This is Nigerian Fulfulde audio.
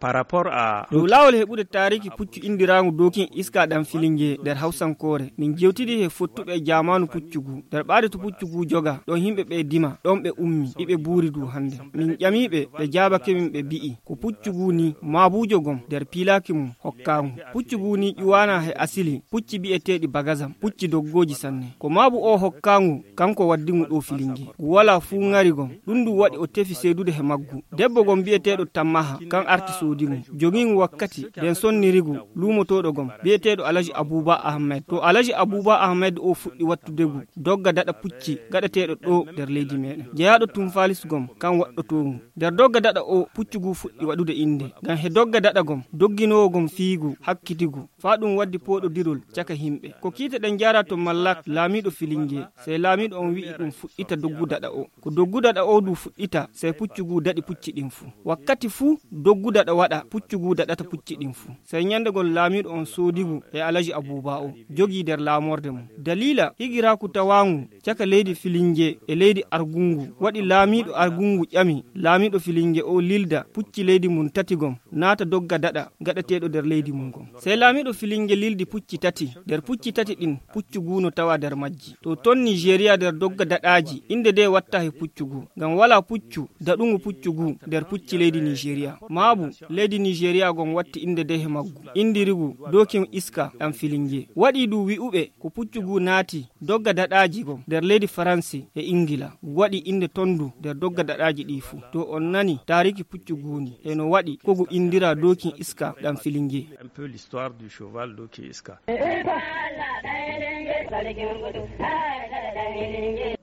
Par rapport à lawol heɓude tariki puccu indiraangu dokin iska ɗam filinge nder hawsankore min jewtidi he fottuɓe jamanu puccugu nder ɓaade to puccugu joga ɗon himɓe ɓe dima ɗon ɓe ummi iɓe buuri du hande min ƴamiɓe ɓe jabake min ɓe bi'i ko puccugu ni mabujo gom nder pilaki mum hokkamu puccugu ni ƴuwana he asili pucci bi'eteɗi bagazam pucci doggoji sanne ko mabu o hokkangu kanko waddimu ɗo filinge wala fu ngari gom ɗum du waɗi o tefi seedude he maggu debbo gom bi'eteɗo Tammaha kan arti sodimu jogingu wakkati den sonnirigu lumotoɗo gom bi'eteɗo Alaji Abouba Ahmed to Alaji Abouba Ahmed o fuɗɗi wattudegu dogga daɗa pucci gaɗateɗo ɗo nder leydi meɗen jeyaɗo Tumfalis gom kan waɗɗotomu nder dogga daɗa o puccugu fuɗɗi waɗude inde ngam he dogga daɗa gom dogginowo gom fiigu hakkitigu fa ɗum waddi poɗodirol caka himɓe ko kiite ɗen jara to Mallak laamiɗo filinge sey laamiɗo on wi'i ɗum fuɗɗita doggu daɗa o ko doggu daɗa o du fuɗɗita sey puccugu daɗi pucci ɗin fu wakkati fu doggu daɗa waɗa puccugu daɗata pucci ɗin fu sey nyandegol laamiɗo on soodigu e Alaji Abouba o jogi nder laamorde mum dalila higiraku tawangu caka leydi filinge e leydi Argungu waɗi laamiɗo Argungu ƴami laamiɗo filinge o lilda pucci leydi mum tati gom naata dogga daɗa gaɗateɗo nder leydi mum gom sey laamiɗo filinge lildi pucci tati nder pucci tati ɗin puccugu no tawa nder majji to ton Nigeria nder dogga daɗaji inde de watta he puccugu ngam wala puccu daɗungu puccugu nder pucci leydi Nigeria maabu leydi Nigeria gom watti inde de he maggu indirigu dokin iska ɗam filinge waɗi du wi'uɓe ko puccugu naati dogga daɗaji gom nder leydi Faransi e Ingila waɗi inde tondu nder dogga daɗaji ɗi fu to on nani tariki puccugu ni e no waɗi kogu indira dokin iska ɗam filinge un peu l'histoire du cheval dokin iska